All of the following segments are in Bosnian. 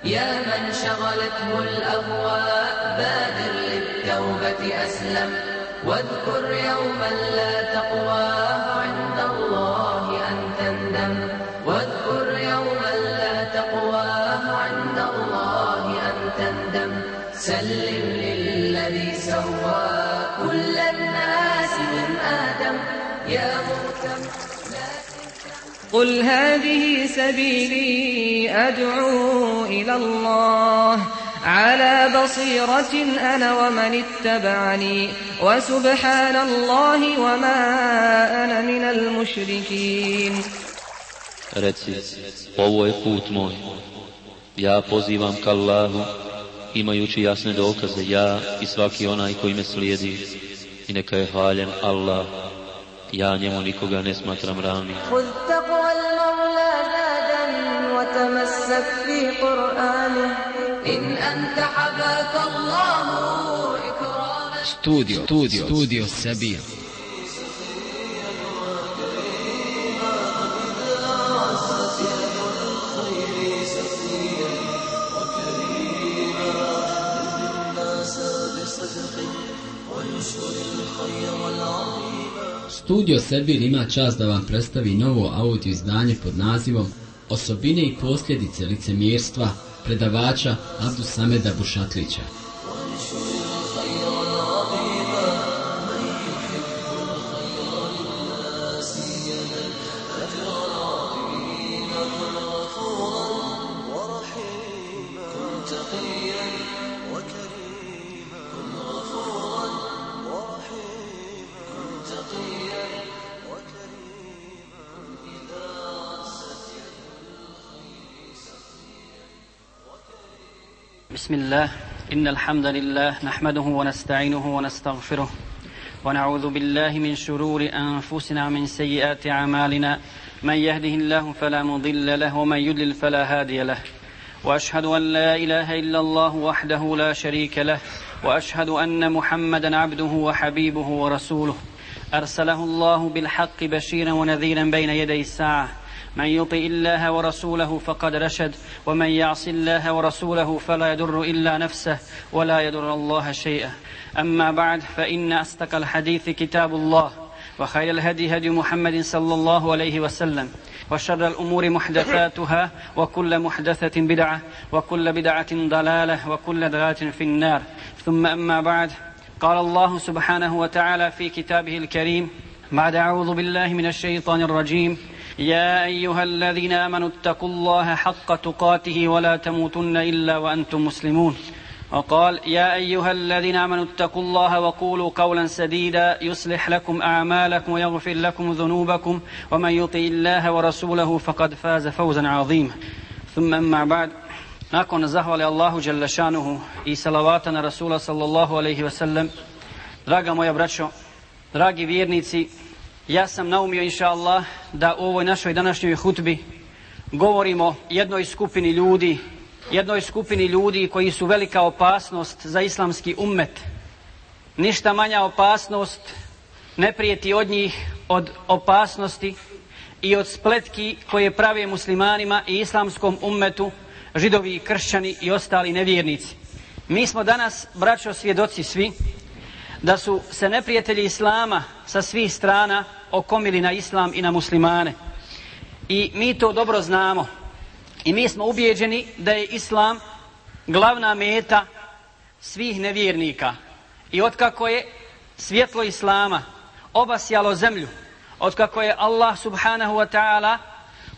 يا من شغلته الأهواء بادر للتوبة أسلم واذكر يوما لا تقوى عند الله أن تندم واذكر يوما لا تقوى عند الله أن تندم سلم للذي سوى كل الناس من آدم يا مهتم قل هذه سبيلي أدعو إلى الله على بصيرة أنا ومن اتبعني وسبحان الله وما أنا من المشركين. Reci, ovo je put moj, ja pozivam ka Allahu, imajući jasne dokaze, ja i svaki onaj koji me slijedi, i neka je hvaljen Allah, ja njemu nikoga ne smatram ravnim. خذ تقوى المولى زادا وتمسك في قرآنه إن أنت حباك الله إكراما. Studio Sabir. Studio Sabir ima čast da vam predstavi novo audio izdanje pod nazivom Osobine i posljedice licemjerstva predavača Abdusameda Bušatlića. بسم الله إن الحمد لله نحمده ونستعينه ونستغفره ونعوذ بالله من شرور أنفسنا ومن سيئات أعمالنا من يهده الله فلا مضل له ومن يضلل فلا هادي له وأشهد أن لا إله إلا الله وحده لا شريك له وأشهد أن محمدا عبده وحبيبه ورسوله أرسله الله بالحق بشيرا ونذيرا بين يدي الساعة من يطع الله ورسوله فقد رشد ومن يعص الله ورسوله فلا يضر إلا نفسه ولا يضر الله شيئا أما بعد فإن أصدق الحديث كتاب الله وخير الهدي هدي محمد صلى الله عليه وسلم وشر الأمور محدثاتها وكل محدثة بدعة وكل بدعة ضلالة وكل ضلالة في النار ثم أما بعد قال الله سبحانه وتعالى في كتابه الكريم بعد أعوذ بالله من الشيطان الرجيم يا أيها الذين آمنوا اتقوا الله حق تقاته ولا تموتن إلا وأنتم مسلمون وقال يا أيها الذين آمنوا اتقوا الله وقولوا قولا سديدا يصلح لكم أعمالكم ويغفر لكم ذنوبكم ومن يطع الله ورسوله فقد فاز فوزا عظيما ثم أما بعد nakon zahvale Allahu dželle šanuhu i salavata na Rasula sallallahu alejhi ve sellem, draga moja braćo, dragi vjernici, ja sam naumio inša Allah da u ovoj našoj današnjoj hutbi govorimo jednoj skupini ljudi koji su velika opasnost za islamski ummet. Ništa manja opasnost ne prijeti od njih od opasnosti i od spletki koje prave muslimanima i islamskom ummetu židovi, kršćani i ostali nevjernici. Mi smo danas, braćo, svjedoci svi da su se neprijatelji islama sa svih strana okomili na islam i na muslimane. I mi to dobro znamo. I mi smo ubijeđeni da je islam glavna meta svih nevjernika. I otkako je svjetlo islama obasjalo zemlju, otkako je Allah subhanahu wa ta'ala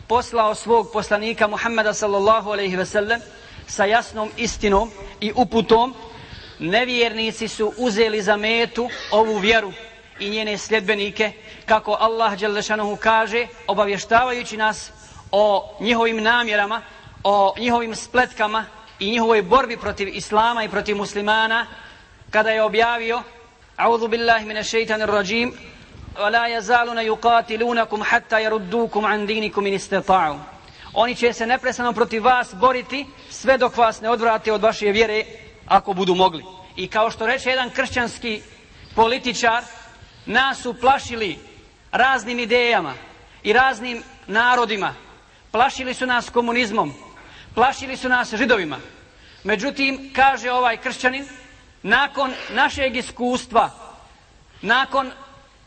poslao svog poslanika Muhammeda sallallahu alejhi ve sellem sa jasnom istinom i uputom, nevjernici su uzeli za metu ovu vjeru i njene sljedbenike, kako Allah dželle šanuhu kaže, obavještavajući nas o njihovim namjerama, o njihovim spletkama i njihovoj borbi protiv islama i protiv muslimana, kada je objavio A'udhu billahi minash shaitanir rajim وَلَا يَزَالُونَ يُقَاتِلُونَكُمْ حَتَّى يَرُدُّوكُمْ عَنْ دِينِكُمْ إِنِ اسْتَطَاعُوا. Oni će se neprestano protiv vas boriti sve dok vas ne odvrate od vaše vjere ako budu mogli. I kao što reče jedan kršćanski političar, nas su plašili raznim idejama i raznim narodima. Plašili su nas komunizmom, plašili su nas Židovima. Međutim, kaže ovaj kršćanin, nakon našeg iskustva, nakon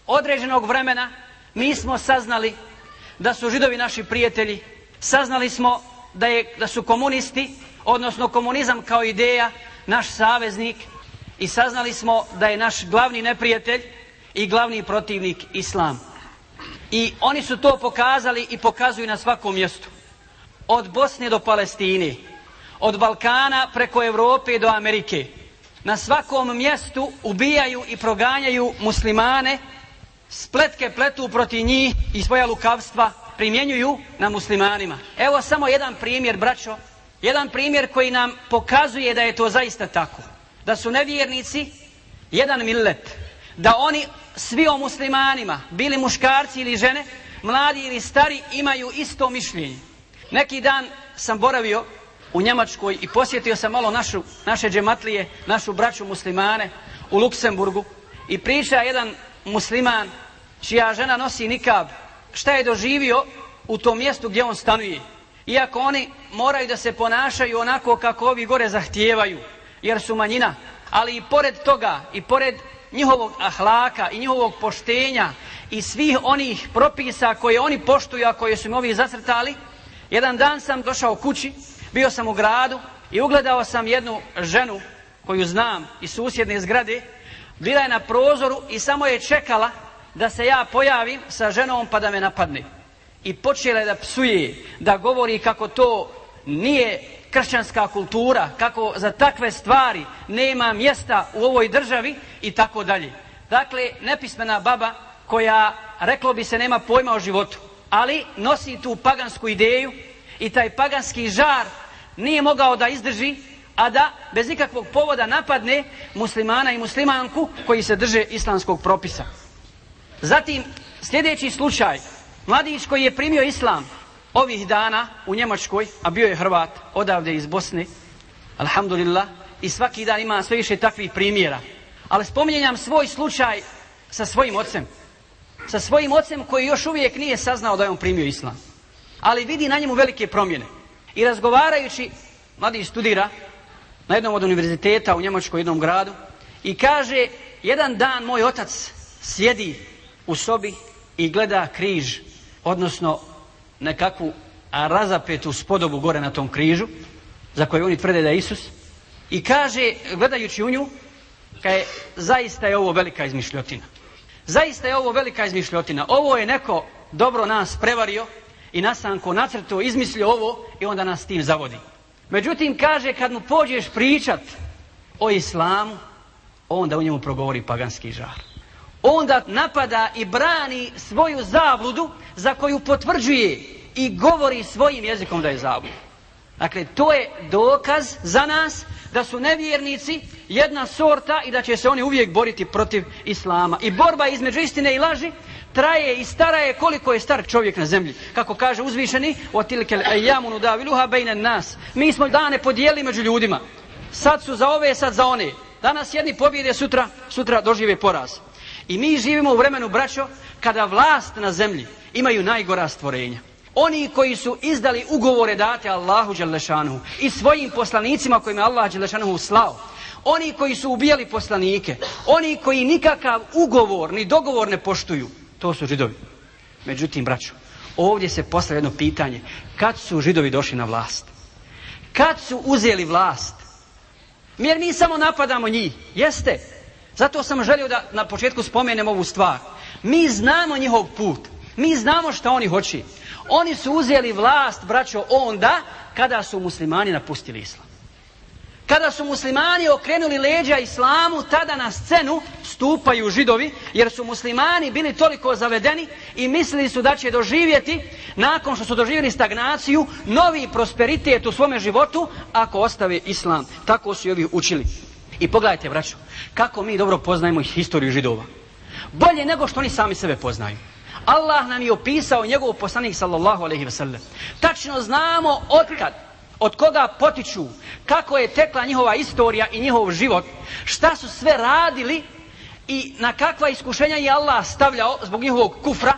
određenog vremena, mi smo saznali da su Židovi naši prijatelji, saznali smo da su komunisti, odnosno komunizam kao ideja, naš saveznik, i saznali smo da je naš glavni neprijatelj i glavni protivnik Islam. I oni su to pokazali i pokazuju na svakom mjestu. Od Bosne do Palestine, od Balkana preko Europe do Amerike. Na svakom mjestu ubijaju i proganjaju muslimane, spletke pletu protiv njih i svoja lukavstva primjenjuju na muslimanima. Evo samo jedan primjer, braćo, jedan primjer koji nam pokazuje da je to zaista tako. Da su nevjernici jedan millet, da oni svi o muslimanima, bili muškarci ili žene, mladi ili stari, imaju isto mišljenje. Neki dan sam boravio u Njemačkoj i posjetio sam malo naše džematlije, našu braću muslimane u Luksemburgu, i priča jedan musliman čija žena nosi nikab, šta je doživio u tom mjestu gdje on stanuje. Iako oni moraju da se ponašaju onako kako ovi gore zahtijevaju, jer su manjina, ali i pored toga, i pored njihovog ahlaka i njihovog poštenja i svih onih propisa koje oni poštuju, a koje su im ovi zacrtali, jedan dan sam došao kući, bio sam u gradu i ugledao sam jednu ženu koju znam iz susjedne zgrade. Bila je na prozoru i samo je čekala da se ja pojavim sa ženom pa da me napadne. I počela je da psuje, da govori kako to nije kršćanska kultura, kako za takve stvari nema mjesta u ovoj državi i tako dalje. Dakle, nepismena baba koja, reklo bi se, nema pojma o životu, ali nosi tu pagansku ideju i taj paganski žar nije mogao da izdrži, a da bez ikakvog povoda napadne muslimana i muslimanku koji se drže islamskog propisa. Zatim, sljedeći slučaj, mladić koji je primio islam ovih dana u Njemačkoj, a bio je Hrvat, odavde iz Bosne, alhamdulillah, i svaki dan ima sve više takvih primjera. Ali spominjam svoj slučaj sa svojim ocem. Sa svojim ocem koji još uvijek nije saznao da je on primio islam. Ali vidi na njemu velike promjene. I razgovarajući, mladić studira na jednom od univerziteta u Njemačkoj, jednom gradu, i kaže, jedan dan moj otac sjedi u sobi i gleda križ, odnosno nekakvu razapetu spodobu gore na tom križu, za koju oni tvrde da je Isus, i kaže, gledajući u nju, kaže, zaista je ovo velika izmišljotina. Zaista je ovo velika izmišljotina. Ovo je neko dobro nas prevario i nasanko nacrto izmislio ovo i onda nas tim zavodi. Međutim, kaže, kad mu pođeš pričat o islamu, onda u njemu progovori paganski žar. Onda napada i brani svoju zabludu za koju potvrđuje i govori svojim jezikom da je zabluda. Dakle, to je dokaz za nas da su nevjernici jedna sorta i da će se oni uvijek boriti protiv islama. I borba između istine i laži traje i stara je koliko je star čovjek na zemlji. Kako kaže uzvišeni, otilkel ejamu nudaviluha bejnen nas. Mi smo dane podijelili među ljudima. Sad su za ove, sad za one. Danas jedni pobjede, sutra dožive poraz. I mi živimo u vremenu, braćo, kada vlast na zemlji imaju najgora stvorenja. Oni koji su izdali ugovore date Allahu dželešanuhu i svojim poslanicima kojima je Allah dželešanuhu slao. Oni koji su ubijali poslanike. Oni koji nikakav ugovor ni dogovor ne poštuju. To su Židovi. Međutim, braćo, ovdje se postavlja jedno pitanje. Kad su Židovi došli na vlast? Kad su uzeli vlast? Jer mi samo napadamo njih. Jeste. Zato sam želio da na početku spomenem ovu stvar. Mi znamo njihov put. Mi znamo šta oni hoće. Oni su uzeli vlast, braćo, onda kada su muslimani napustili islam. Kada su muslimani okrenuli leđa islamu, tada na scenu stupaju Židovi, jer su muslimani bili toliko zavedeni i mislili su da će doživjeti, nakon što su doživjeli stagnaciju, novi prosperitet u svome životu ako ostave islam. Tako su i ovi učili. I pogledajte, braćo, kako mi dobro poznajemo historiju Židova. Bolje nego što oni sami sebe poznaju. Allah nam je opisao njegov poslanik sallallahu alejhi ve sellem. Tačno znamo otkad, od koga potiču, kako je tekla njihova istorija i njihov život, šta su sve radili i na kakva iskušenja je Allah stavljao zbog njihovog kufra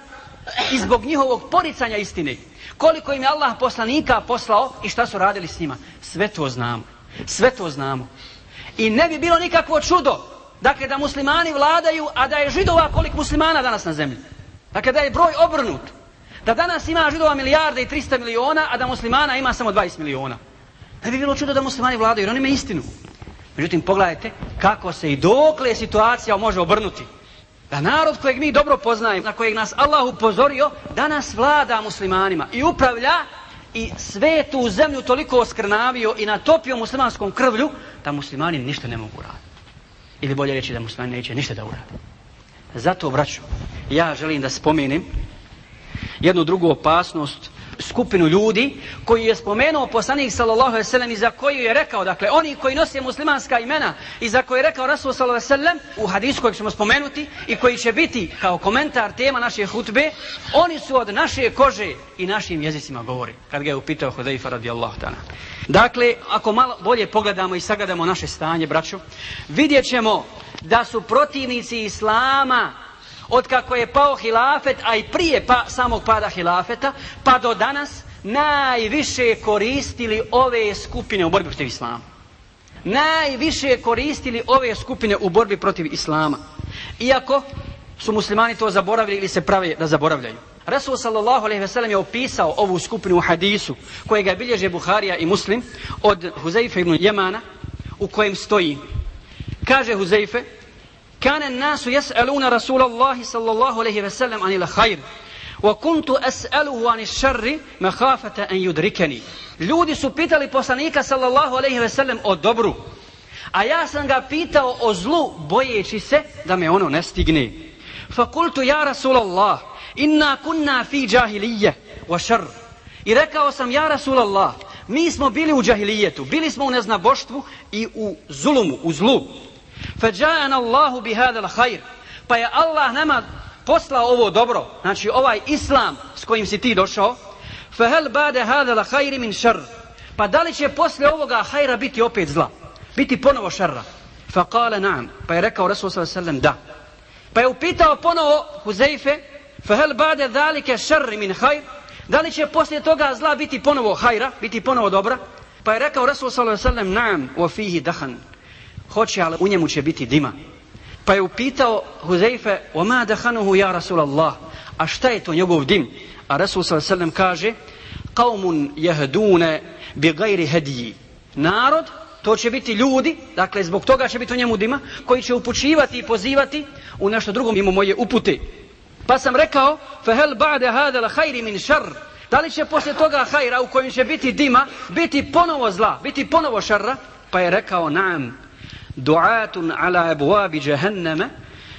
i zbog njihovog poricanja istine. koliko im je Allah poslanika poslao i šta su radili s njima. Sve to znamo. Sve to znamo. I ne bi bilo nikakvo čudo, dakle, da muslimani vladaju, a da je Židova koliko muslimana danas na zemlji. Dakle, da je broj obrnut. Da danas ima Židova 1.300 miliona, a da muslimana ima samo 20 miliona. Ne bi bilo čudo da muslimani vladaju, jer oni imaju istinu. Međutim, pogledajte kako se i dokle situacija može obrnuti. Da narod kojeg mi dobro poznajemo, na kojeg nas Allah upozorio, danas vlada muslimanima i upravlja i svetu zemlju toliko oskrnavio i natopio muslimanskom krvlju, da muslimani ništa ne mogu raditi. Ili bolje reći da muslimani neće ništa da urade. Zato, braćo, ja želim da spomenem jednu drugu opasnost, skupinu ljudi koji je spomenuo poslanik sallallahu alejhi ve sellem i za koju je rekao, dakle, oni koji nose muslimanska imena i za koje je rekao Rasul sallallahu alejhi ve sellem u hadisu kojeg ćemo spomenuti i koji će biti kao komentar tema naše hutbe, oni su od naše kože i našim jezicima govori, kad ga je upitao Hudejfa radijallahu ta'ala. Dakle, ako malo bolje pogledamo i sagledamo naše stanje, braćo, vidjet ćemo da su protivnici islama od kako je pao hilafet, a i prije samog pada hilafeta, pa do danas, najviše koristili ove skupine u borbi protiv islama. Najviše koristili ove skupine u borbi protiv islama. Iako su muslimani to zaboravili ili se prave da zaboravljaju. Rasul sallallahu alejhi ve sellem je opisao ovu skupinu u hadisu kojega bilježe Buharija i Muslim od Huzejfe ibn Jemana, u kojem stoji. Kaže Huzejfe: كان الناس يسألون رسول الله صلى الله عليه وسلم عن الخير وكنت أسأله عن الشر مخافة أن يدركني. Ljudi su pitali poslanika sallallahu alejhi ve sellem o dobru, a ja sam ga pitao o zlu bojeći se da me ono ne stigne. فقلت يا رسول الله إنا كنا في جاهلية وشر. I rekao sam, ja Rasulallah, mi smo bili u džahilijetu, bili smo u neznaboštvu i u zulumu, u zlu. فَجَاءَنَ اللَّهُ بِهَذَا الْخَيْرِ. Pa je Allah nama poslao ovo dobro, znači ovaj islam s kojim si ti došao. فَهَلْ بَعْدَ هَذَا الْخَيْرِ مِنْ شَرِّ. Pa da li će poslije ovoga hajra biti opet zla, biti ponovo šarra? فَقَالَ نَعَمْ. Pa je rekao Rasul sallallahu alejhi ve sellem da. Pa je upitao ponovo Huzejfe: فَهَلْ بَعْدَ ذَلِكَ شَرِّ مِنْ خَيْرِ. Da li će poslije toga zla biti ponovo hajra, biti ponovo dobra? Pa je rekao Rasul sallallahu alejhi ve sellem: نَعَمْ وَفِيهِ دَخَنٌ. Hoće, ali u njemu će biti dima. Pa je upitao Huzejfe: وَمَا دَخَنُهُ يَا رَسُولَ اللَّهِ. A šta je to njegov dim? A Rasul sallallahu alejhi ve sellem kaže: قَوْمٌ يَهْدُونَ بِغَيْرِ هَدِيِّ. Narod, to će biti ljudi, dakle zbog toga će biti u njemu dima, koji će upućivati i pozivati u nešto drugo mimo moje upute. Pa sam rekao: فَهَلْ بَعْدَ هَذَا الْخَيْرِ مِنْ شَرِّ. Da li će poslije toga hajra u kojem će biti dima, biti ponovo zla, biti ponovo šarra? Pa je rekao: نَعَمْ du'atun ala abwabi jahannama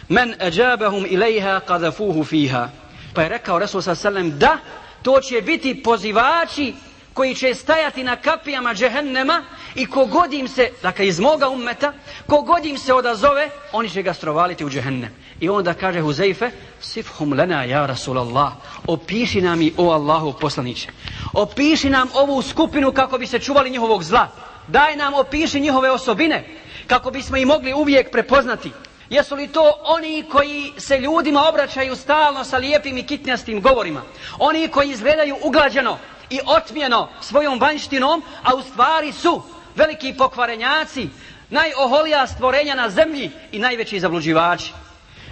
man ajabahum ilayha qadhafuhu fiha. Pa je rekao Rasul sallallahu alejhi ve sellem da to će biti pozivači koji će stajati na kapijama džehennema i kogod im se, dakle iz moga ummeta, kogod im se odazove, oni će ga strovaliti u džehennem. I onda kaže Huzejfe: sifhum lana ja Rasulallah. Opiši nam i o Allahu poslaniče. Opiši nam ovu skupinu kako bi se čuvali njihovog zla. Daj nam, opiši njihove osobine kako bismo ih mogli uvijek prepoznati. Jesu li to oni koji se ljudima obraćaju stalno sa lijepim i kitnjastim govorima? Oni koji izgledaju uglađeno i otmjeno svojom vanjštinom, a u stvari su veliki pokvarenjaci, najoholija stvorenja na zemlji i najveći zabluđivači?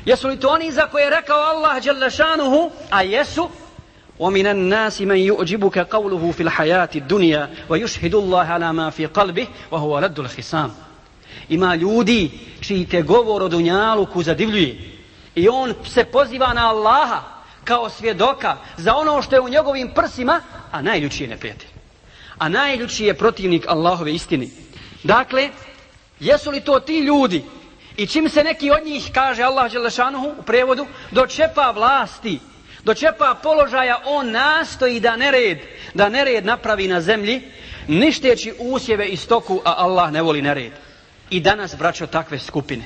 Jesu li to oni za koje je rekao Allah dželle šanuhu, a jesu: وَمِنَ النَّاسِ مَنْ يُعْجِبُكَ قَوْلُهُ فِي الْحَيَاةِ الدُّنْيَا وَيُشْهِدُ اللَّهَ عَلَى مَا فِي قَلْبِهِ وَهُوَ رَدُّ الْخِصَامِ. Ima ljudi čiji te govor o dunjaluku zadivljuje i on se poziva na Allaha kao svjedoka za ono što je u njegovim prsima, a najljući je neprijatelj, a najljući je protivnik Allahove istine. Dakle, jesu li to ti ljudi i čim se neki od njih, kaže Allah dželle šanuhu u prevodu, dočepa vlasti, dočepa položaja, on nastoji da nered napravi na zemlji, ništeći usjeve i stoku, a Allah ne voli nered. I danas, braćo, takve skupine.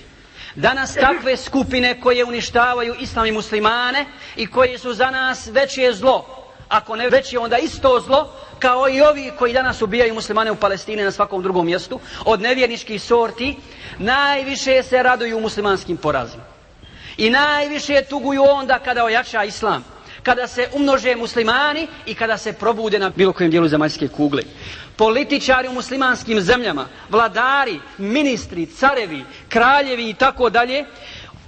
Danas takve skupine koje uništavaju islam i muslimane i koje su za nas veće zlo, ako ne veće, onda isto zlo, kao i ovi koji danas ubijaju muslimane u Palestini na svakom drugom mjestu, od nevjerničkih sorti, najviše se raduju muslimanskim porazima. I najviše tuguju onda kada ojača islam, kada se umnože muslimani i kada se probude na bilo kojem dijelu zemaljske kugle. Političari u muslimanskim zemljama, vladari, ministri, carevi, kraljevi i tako dalje,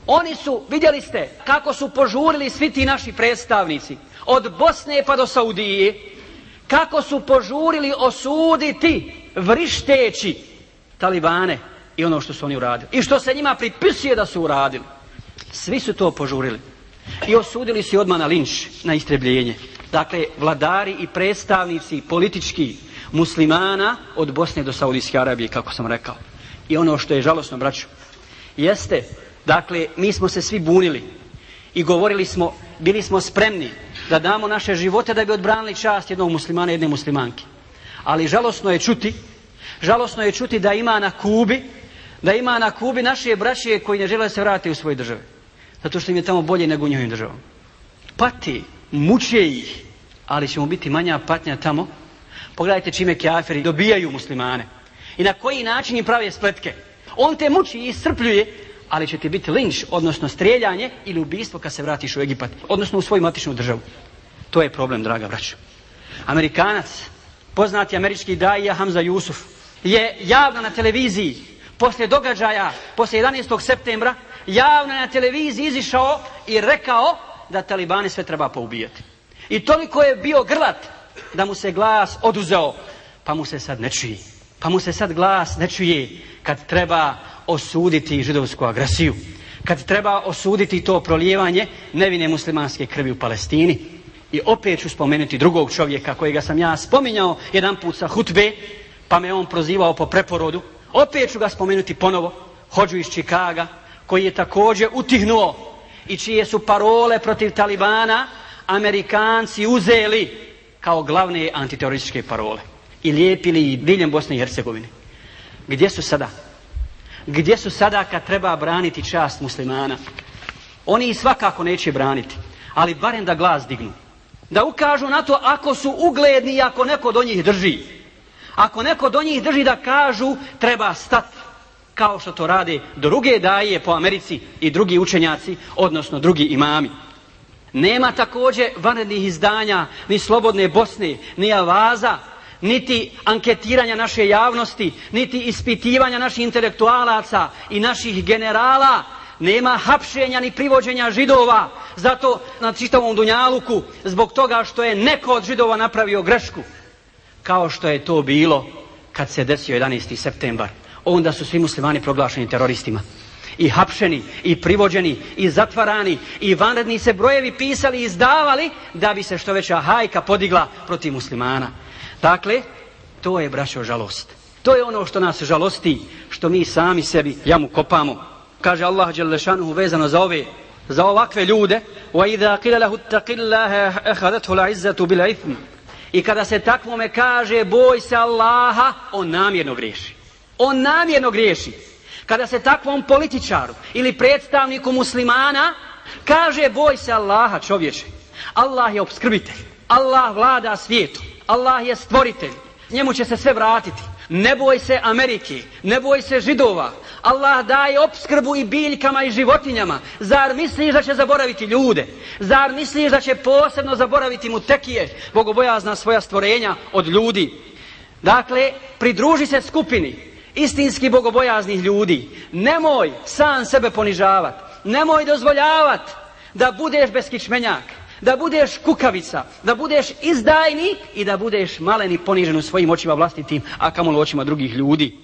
oni su, vidjeli ste kako su požurili svi ti naši predstavnici, od Bosne pa do Saudije, kako su požurili osuditi vrišteći talibane i ono što su oni uradili. I što se njima pripisuje da su uradili. Svi su to požurili. I osudili su odmah na linč, na istrebljenje. Dakle, vladari i predstavnici politički muslimana od Bosne do Saudijske Arabije, kako sam rekao. I ono što je žalosno, braćo, jeste, dakle, mi smo se svi bunili i govorili smo, bili smo spremni da damo naše živote da bi odbranili čast jednog muslimana i jedne muslimanke. Ali žalosno je čuti da ima na Kubi naše braće koji ne žele da se vrate u svoje države. Zato što im je tamo bolje nego u njihovim državama. Pati, muče ih, ali će mu biti manja patnja tamo. Pogledajte čime kafiri dobijaju muslimane. I na koji način im prave spletke. On te muči i iscrpljuje, ali će ti biti linč, odnosno strijeljanje ili ubistvo kad se vratiš u Egipat, odnosno u svoju matičnu državu. To je problem, draga braćo. Amerikanac, poznati američki daija Hamza Jusuf, je javno na televiziji, poslije događaja, poslije 11. septembra, javno na televiziji izišao i rekao da talibani sve treba poubijati. I toliko je bio grlat da mu se glas oduzeo, pa mu se sad glas ne čuje kad treba osuditi židovsku agresiju, kad treba osuditi to prolijevanje nevine muslimanske krvi u Palestini. I opet ću spomenuti drugog čovjeka kojega sam ja spominjao jedan put sa hutbe, pa me on prozivao po preporodu. Opet ću ga spomenuti ponovo, hodžu iz Čikaga, koji je također utihnuo i čije su parole protiv talibana Amerikanci uzeli kao glavne antiterorističke parole i lijepili ih diljem Bosne i Hercegovine. Gdje su sada? Gdje su sada kad treba braniti čast muslimana? Oni ih svakako neće braniti, ali barem da glas dignu. Da ukažu na to ako su ugledni i ako neko do njih drži. Ako neko do njih drži da kažu treba stati. Kao što to rade druge daje po Americi i drugi učenjaci, odnosno drugi imami. Nema također vanrednih izdanja, ni Slobodne Bosne, ni Avaza, niti anketiranja naše javnosti, niti ispitivanja naših intelektualaca i naših generala. Nema hapšenja ni privođenja židova, zato na čitavom dunjaluku, zbog toga što je neko od židova napravio grešku. Kao što je to bilo kad se desio 11. septembar. Onda su svi muslimani proglašeni teroristima. I hapšeni, i privođeni, i zatvarani, i vanredni se brojevi pisali i izdavali da bi se što veća hajka podigla protiv muslimana. Dakle, to je, braćo, žalost. To je ono što nas žalosti, što mi sami sebi jamu kopamo. Kaže Allah dželle šanuhu vezano za ovakve ljude: وَإِذَا قِيلَ لَهُ اتَّقِ اللَّهَ أَخَذَتْهُ الْعِزَّةُ بِالْإِثْمِ. I kada se takvome kaže boj se Allaha, on namjerno griješi. Kada se takvom političaru ili predstavniku muslimana kaže boj se Allaha, čovječe, Allah je opskrbitelj, Allah vlada svijetu, Allah je stvoritelj, njemu će se sve vratiti. Ne boj se Amerike, ne boj se židova, Allah daje opskrbu i biljkama i životinjama. Zar misliš da će zaboraviti ljude? Zar misliš da će posebno zaboraviti mutekije, bogobojazna svoja stvorenja od ljudi? Dakle, pridruži se skupini istinski bogobojaznih ljudi. Nemoj sam sebe ponižavati, nemoj dozvoljavati da budeš beskičmenjak, da budeš kukavica, da budeš izdajnik i da budeš malen i ponižen u svojim očima vlastitim, a kamoli u očima drugih ljudi.